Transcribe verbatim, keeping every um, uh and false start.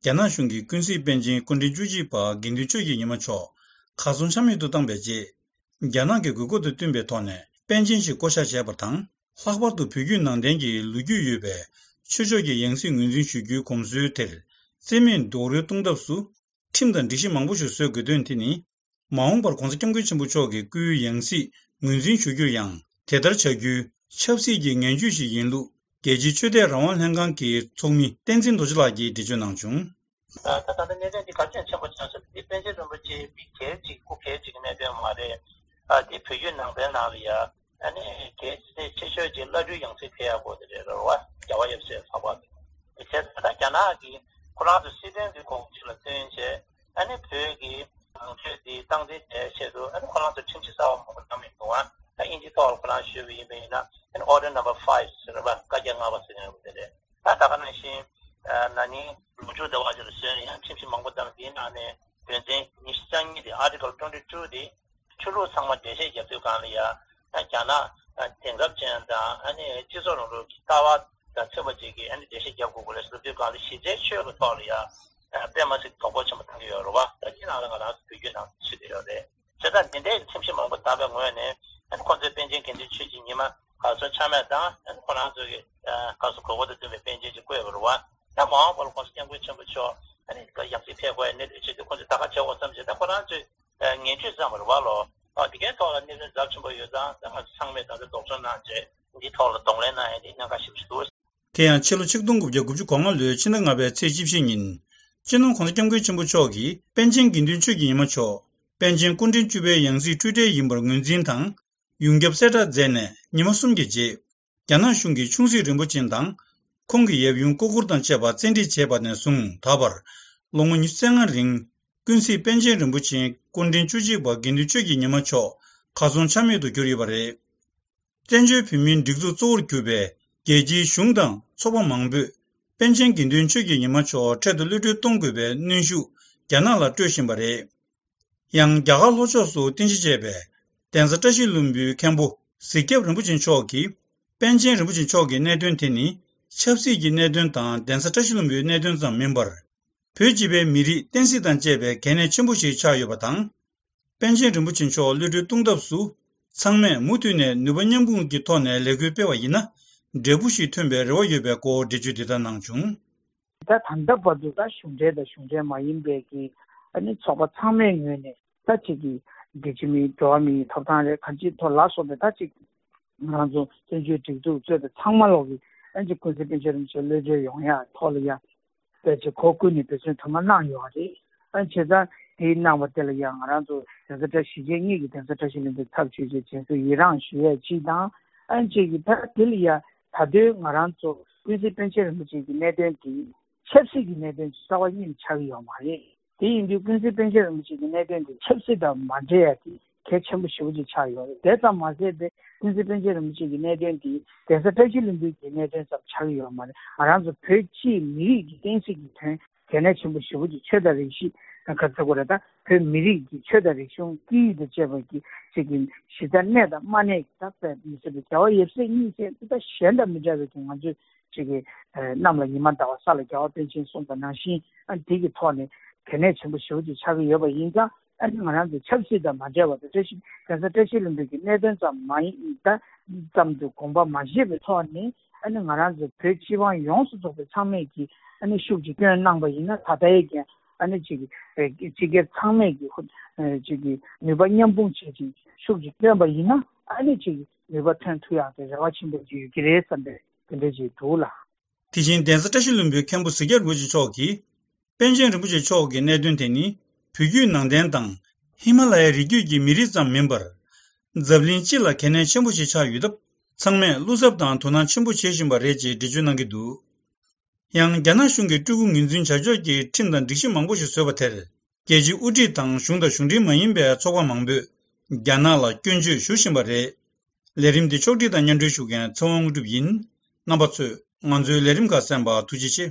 རྒྱ་ནག་གཞུང་གིས་ཀུན་གཟིགས་པཎ་ཆེན་སྐུ་ཕྲེང་བཅུ་གཅིག་པ་དགེ་འདུན་ཆོས་ཀྱི་ཉི་མ་མཆོག་གར་སོང་ཆ་མེད་དུ་བཏང་བའི་རྗེས། རྒྱ་ནག་གི་དགོས་མཁོ་དང་བསྟུན་པའི་ཐོག་ནས་པཎ་ཆེན་ཞིག་བསྐོ་བཞག་བྱས་པ་དང་། ལྷག་པར་དུ་བོད་བརྒྱུད་ནང་བསྟན་གྱི་ལོ་རྒྱུས་ཡོད་པའི་ཆོས་ཕྱོགས་ཀྱི་ཡང་སྲིད་ངོས་འཛིན་ཞུ་རྒྱུའི་གོམས་སྲོལ་དེར་བརྩི་མེད་རྡོག་རོལ་གཏོང་ཐབས་སུ། ཁྲིམས་དང་སྒྲིག་གཞི་མང་པོ་ཞིག་བཟོ་དགོས་དོན་དེ་ནི། མ་འོངས་པར་༸གོང་ས་༸སྐྱབས་མགོན་ཆེན་པོ་མཆོག་གི་སྐུའི་ཡང་སྲིད་ངོས་འཛིན་ཞུ་རྒྱུར་ཡང་དེ་ལྟར་བྱ་རྒྱུའི་ཆབ་སྲིད་ཀྱི་ངན་ཇུས་ཤིག་ཡིན་ལུགས། རྒྱལ་སྤྱིའི་ཆོས་དད་རང་དབང་ལྷན་ཁང་གི་ཚོགས་མི་བསྟན་འཛིན་རྡོ་རྗེ་ལགས་ཀྱིས་འགྲེལ་བརྗོད་གནང་བྱུང་། ད་ལྟ་གནད་དོན་འདི་གལ་ཆེན་ཆེན་པོ་ཆགས་སོང་། འདི་པཎ་ཆེན་རིན་པོ་ཆེ་མི་སྒེར་གཅིག་སྐུ་སྒེར་གཅིག་གི་གནད་དོན་མ་རེད། ཨ་འདི་བོད་བརྒྱུད་ནང་བསྟན་ནང་ལ་ཡ་ཨ་ནི་རྒྱལ་སྤྱིའི་ཆོས་ཕྱོགས་ཀྱི་བླ་སྤྲུལ་ཡང་སྲིད་ཕེབས་ཡག་པོ་དེ་རེད་རེད་བ། རྒྱལ་བ་ཡབ་སྲས་ལྷག་པར་དུ། དེ་བྱས་ད་ལྟ་རྒྱ་ནག་གིས་ཁོ་རང་ཚོ་སྲིད་དོན་གྱི་གོ་སྐབས་ཅིག་ལ་བརྩོན་བྱས། ཨ་ནི་བོད་ཀྱི་ནང་ཆོས་འདི་སྟངས་འཛིན་བྱས་ཆེད་དུ་ཨ་ནི་ཁོ་རང་ཚོ་ཁྲིམས་གཞི་གསར་པ་མང་པོ་བརྩམས་ཡོད་འདུག་ཨ་ཨིན་ཇི་ཐོག་ལ་ཁོ་རང་ཞུས་པ་ཡིན་པ་ཡིན་ན་ཨ་ནི་Order Number Five་ཟེར་བ་བཀའ་རྒྱ་ལྔ་པ་ཟེར་མཁན་རེད། ད་ད་ག་ནང་བཞིན་ན་ནིང་ལོ་མཇུག་ཟླ་བ་ཅིག་ལ་བཟོས་ནས་ཡང་ཁྲིམས་གཞི་མང་པོ་བརྩམས། དེའི་ནང་ནས་དོན་ཚན་ཉི་ཤུ་རྩ་གཉིས་དེ་Article twenty two་དེ་ཆོས་ལུགས་ཚང་མ་འགྲེལ་བཤད་རྒྱབ་དུས་སྒང་ལ་ཡ་རྒྱ་ནག་དེང་རབས་ཅན་དང་ཨ་ནི་སྤྱི་ཚོགས་རིང་ལུགས་ཀྱི་ལྟ་བ་དང་མཐུན་པ་ཅིག་གིས་ཨ་ནི་འགྲེལ་བཤད་རྒྱབ་དགོས་ཀྱི་རེད་ཟེར་དུས་སྒང་ལ་གཞི་རྩའི་ཆོས་ཀྱི་ཐོག་ལ་ཡ་དཔེ་མ་སྲིད་དོ་ཕོག་ཆེན་པོ་བཏང་གི་ཡོད་རེད་བ། ད་ཅི་ནང་ལ་ང་རང་ཚོ་བོད་བརྒྱུད་ནང་ཚུད་དེ་ཡོད་རེད། བྱས་ཙང་འདི་འདྲའི་ཁྲིམས་གཞི་མང་པོ་བཏང་པའི་ངོས་ནས་ཨ་ནི་ཁོང་ཚོའི་པཎ་ཆེན་དགེ་འདུན་ཆོས་ཀྱི་ཉི་མ་གར་སོང་ཆ་མེད་དང་ཨ་ནི་ཁོ་རང་ཚོ་གི་གར་སོང་དགོས་མཁོ་དང་བསྟུན་པའི་པཎ་ཆེན་ཅིག་བསྐོས་པ་རེད་བ། ད་མ་འོངས་པར་༸གོང་ས་༸སྐྱབས་མགོན་ཆེན་པོ་མཆོག་ཨ་ནི་ཡང་སྲིད་ཕེབས་དགོས་ཡ་གནད་དོན་ཆེད་དུ་ཁོང་ཚོས་ད་ག་བྱེད་དགོས་བསམ་བྱས། ད་ཁོ་རང་ཚོས་ངན་ཇུས་བརྩམས་པ་རེད་བ་ལོ། ཨ་འདི་གའི་ཐོག་ལ་གནད་དོན་ཚབས་ཆེན་པོ་ཡོད་ཙང་ད་ང་ཚོ་ཚང་མས་ད་ལྟ་དོགས་ཟོན་གནང་བྱས་འདིའི་ཐོག་ལ་གདོང་ལེན་གནང་ཡ་དེ་གནད་འགག་ཞེ་པོ་ཞིག་འདུག་དེ་ཡང་ཕྱི་ལོ་ཆིག་སྟོང་དགུ་བརྒྱ་དགུ་བཅུ་གོ་ལྔ་ལོའི་ཕྱི་ཟླ་ལྔ་པའི་ཚེས་བཅུ་བཞི་ཉིན། སྤྱི་ནོར་༸གོང་ས་༸སྐྱབས་མགོན་ཆེན་པོ་མཆོག་གིས་པཎ་ཆེན་དགེ་འདུན་ཆོས་ཀྱི་ཉི་མ་མཆོག་པཎ་ཆེན་སྐུ་ཕྲེང་བཅུ་པའི་ཡང་སྲིད་འཁྲུལ་བྲལ་ཡིན་པར་ངོས་འཛིན་དང་། ཡོངས་ཁྱབ་གསལ་བསྒྲགས་མཛད་ནས་ཉི་མ་གསུམ་གྱི་རྗེས། རྒྱ་ནག་གཞུང་གིས་ཆུང་སྲིད་རིན་པོ་ཆེ་དང་། ཁོང་གི་ཡབ་ཡུམ་སྐུ་འཁོར་དང་བཅས་པ་བཙན་ཁྲིད་བྱས་པ་ནས་བཟུང་ད་བར། ལོ་ངོ་ཉི་ཤུ་རྩ་ལྔ་རིང་། ཀུན་གཟིགས་པཎ་ཆེན་རིན་པོ་ཆེ་སྐུ་ཕྲེང་བཅུ་གཅིག་པ་དགེ་འདུན་ཆོས་ཀྱི་ཉི་མ་མཆོག་གར་སོང་ཆ་མེད་དུ་གྱུར་ཡོད་པ་རེད། བཙན་བྱོལ་བོད་མིའི་སྒྲིག་འཛུགས་གཙོ་བོར་གྱུར་པའི་རྒྱལ་སྤྱིའི་གཞུང་དང་ཚོགས་པ་མང་པོས་པཎ་ཆེན་དགེ་འདུན་ཆོས་ཀྱི་ཉི་མ་མཆོག་འཕྲལ་དུ་གློད་གྲོལ་གཏོང་དགོས་པའི་གནོན་ཤུགས་རྒྱ་ནག་ལ་སྤྲོད་བཞིན་པ་རེད། ཡང་རྒྱ་གར་ལྷོ་ཕྱོགས་སུ་རྟེན་གཞི་བྱས་པའི་གདན་ས་བཀྲ་ཤིས་ལྷུན་པོའི་མཁན་པོ་གཟིག་སྐྱབས་རིན་པོ་ཆེ་མཆོག་གིས་པཎ་ཆེན་རིན་པོ་ཆེ་མཆོག་གི་གནད་དོན་དེ་ནི་ཆབ་སྲིད་ཀྱི་གནད་དོན་དང་གདན་ས་བཀྲ་ཤིས་ལྷུན་པོའི་གནད་དོན་ཙམ་མིན་པར། བོད་སྤྱི་པའི་མི་རིགས་བསྟན་སྲིད་དང་བཅས་པའི་གལ་གནད་ཆེན་པོ་ཞིག་ཆགས་ཡོད་པ་དང་། པཎ་ཆེན་རིན་པོ་ཆེ་མཆོག་གློད་གྲོལ་གཏོང་ཐབས་སུ། ཚང་མས་མུ་མཐུད་ནས་ནུས་པ་མཉམ་སྤུངས་ཀྱི་ཐོག་ནས་ལས་འགུལ་སྤེལ་བ་ཡིན་ན། འབྲས་བུ་ཞིག་ཐོན་པའི་རེ་བ་ཡོད་པའི་སྐོར་འགྲེལ་བརྗོད་འདི་ལྟར་གནང་བྱུང་། ད་ད་ལྟ་བར་དུ་ད་གཞུང་འབྲེལ་དང་གཞུང་འབྲེལ་མ་ཡིན་པའི་གི་ཨ་ནི་ཚོགས་པ་ཚང་མའི་ངོས་ནས་ད་ཅིག་གི་རྒྱལ་སྤྱི་མིའི་འགྲོ་བ་མིའི་ཐོབ་ཐང་རེད། གང་ཅིའི་ཐོག་ལ་སོགས་པའི་ད་ཅིག་ང་རང་ཚོ་བཙན་བྱོལ་སྒྲིག་འཛུགས་གཙོས་པའི་ཚང་མ་ལོག་གི་ཨ་ནི་ཅིག་ཀུན་གཟིགས་པཎ་ཆེན་རིན་པོ་ཆེ་གློད་བྱོལ་ཡོང་ཡ་ཐོག་ལ་ཡ་ཕལ་ཆེར་གོ་བསྐོན་ནས་འབད་བརྩོན་དུ་མ་གནང་ཡོད་རེད། ཨ་ནི་བྱས་ཙང་དེའི་གནང་བ་དེ་ལ་ཡང་ང་རང་ཚོ་གདན་ས་བཀྲ་ཤིས་རྗེ་ཉིད་ཀྱི་གདན་ས་བཀྲ་ཤིས་ལྷུན་པོའི་ཚབ་ཞུས་བྱས་རྗེས་སུ་ཡི་རངས་ཞུ་ཡས་གཅིག་དང་། ཨ་ནི་གཅིག་གིས་ད་དེ་ལ་ཡང་ད་དུང་ང་རང་ཚོ་ཀུན་གཟིགས་པཎ་ཆེན་རིན་པོ་ཆེ་གི་གནད་དོན་དེ་ཆབ་སྲིད་ཀྱི་གནད་དོན་གྱི་རྩ་བ་ཉིད་ནས་ཆགས་ཀྱི་ཡོད་མ་རེད། དེ་ཡིན་དུས་ཀུན་གཟིགས་པཎ་ཆེན་རིན་པོ་ཆེ་གི་གནད་དོན་དེ་ཆབ་སྲིད་དང་མ་འབྲེལ་ཡ་དེ་གལ་ཆེན་པོ་ཞེ་པོ་ཅིག་ཆགས་ཡོད་རེད། དེ་ཙམ་མ་ཟད་པའི་ཀུན་གཟིགས་པཎ་ཆེན་རིན་པོ་ཆེ་གི་གནད་དོན་དེ་གདན་ས་བཀྲ་ཤིས་ལྷུན་པོའི་གི་གནད་དོན་ཙམ་ཆགས་ཀྱི་ཡོད་མ་རེད། ང་རང་ཚོ་བོད་སྤྱིའི་མི་རིགས་ཀྱི་བསྟན་སྲིད་ཀྱི་དོན་གལ་གནད་ཆེན་པོ་ཞེ་པོ་ཅིག་ཆོས་དང་རིག་གཞི་ག་ཚོད་དགོས་རེད། ད་བོད་མི་རིགས་ཀྱི་ཆོས་དང་རིག་གཞུང་སྐད་ཡིག་དང་བཅས་པ་གི་ཅིག་གི་གཞི་རྩ་གནས་དང་མ་གནས་ཀྱི་ད་དཔེ་མི་སྲིད་པའི་རྒྱལ་བ་ཡབ་སྲས་གཉིས་བཅས་ད་གཞན་དང་མི་འདྲ་བའི་གི་ང་ཚོས་ཅིག་གི་གནམ་ལ་ཉི་མ་ཟླ་བ་ས་ལ་རྒྱལ་བ་པཎ་ཆེན་གསུངས་པ་ནང་བཞིན་ཨ་དེ་གི་ཐོག་ནས་གལ་གནད་ཆེན་པོ་ཞེ་པོ་ཅིག་ཆགས་ཀྱི་ཡོད་པ་ཡིན་ཙང་། ཨ་ནི་ང་རང་ཚོ་ཆབ་སྲིད་དང་མ་འབྲེལ་བ་དང་བཀྲ་ཤིས་གདན་ས་བཀྲ་ཤིས་ལྷུན་པོའི་གི་གནད་དོན་ཙམ་མ་ཡིན་ད་ཙམ་དུ་དགོངས་པ་མ་བཞེས་པའི་ཐོག་ནས་ཨ་ནི་ང་རང་ཚོ་བོད་སྤྱི་དབང་ཡོངས་སུ་རྫོགས་པའི་ཚང་མས་ཀྱི་ཨ་ནི་ཤུགས་ཀྱིས་སྐྱོན་གནང་པ་ཡིན་ན་ད་ལྟའི་གི་ཨ་ནི་ཅིག་སྤྱི་སྒེར་ཚང་མས་ཀྱི་ཅིག་གི་ནུས་པ་མཉམ་སྤུངས་བྱེད་ཅིང་ཤུགས་ཀྱིས་བསྐྱོན་པ་ཡིན་ན་ཨ་ནི་ཅིག་ནུས་པ་ཐོན་ཐུབ་ཡག་གི་རེ་བ་ཆེན་པོ་ཅིག་ཡོད་ཀྱི་རེད་བསམ་པའི་དེ་འདྲ་ཅིག་འདུག་ལ། དེ་བཞིན་གདན་ས་བཀྲ་ཤིས་ལྷུན་པོའི་མཁན་པོ་གཟིག་རྒྱབ་རིན་པོ་ཆེ་མཆོག་གིས། པཎ་ཆེན་རིན་པོ་ཆེ་མཆོག་གི་གནད་དོན་དེ་ནི་བོད་བརྒྱུད་ནང་བསྟན་དང་ཧི་མ་ལ་ཡའི་རི་རྒྱུད་ཀྱི་མི་རིགས་ཙམ་མིན་པར། འཛམ་གླིང་སྤྱི་ལ་གལ་གནད་ཆེན་པོ་ཞིག་ཆགས་ཡོད་སྟབས། ཚང་མས་བློ་འཚབ་དང་དོ་སྣང་ཆེན་པོ་བྱེད་བཞིན་པ་རེད་ཅེས་འགྲེལ་བརྗོད་གནང་གི་འདུག་ཡང་རྒྱ་ནག་གཞུང་གིས་སྤྲུལ་སྐུ་ངོས་འཛིན་བྱ་ཕྱོགས་ཀྱི་ཁྲིམས་དང་སྒྲིག་གཞི་མང་པོ་ཞིག་བཟོས་པ་དེར། རྒྱལ་སྤྱིའི་དབུ་ཁྲིད་དང་གཞུང་དང་གཞུང་འབྲེལ་མ་ཡིན་པའི་ཚོགས་པ་མང་པོས་རྒྱ་ནག་ལ་སྐྱོན་བརྗོད་ཞུ་བཞིན་པ་རེད། ལས་རིམ་འདི་ཕྱོགས་སྒྲིག་དང་མཉམ་འབྲེལ་ཞུ་མཁན་ཚེ་དབང་དངོས་གྲུབ་ཡིན། རྣམ་པ་ཚོས་ང་ཚོའི་ལས་རིམ་ཁག་གསན་པར་ཐུགས་རྗེ་ཆེ།